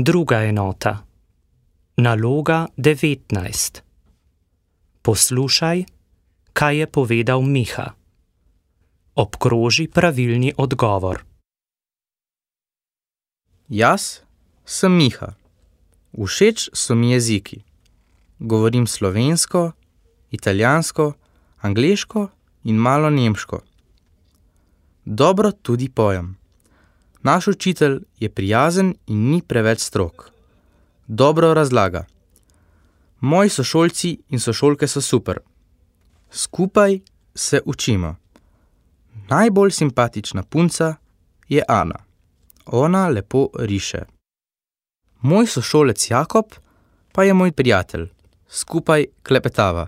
Druga enota. Naloga 19. Poslušaj, kaj je povedal Miha. Obkroži pravilni odgovor. Jaz sem Miha. Všeč so mi jeziki. Govorim slovensko, italijansko, angleško in malo nemško. Dobro tudi pojem. Naš učitelj je prijazen in ni preveč strog. Dobro razlaga. Moji sošolci in sošolke so super. Skupaj se učimo. Najbolj simpatična punca je Ana. Ona lepo riše. Moj sošolec Jakob pa je moj prijatelj. Skupaj klepetava.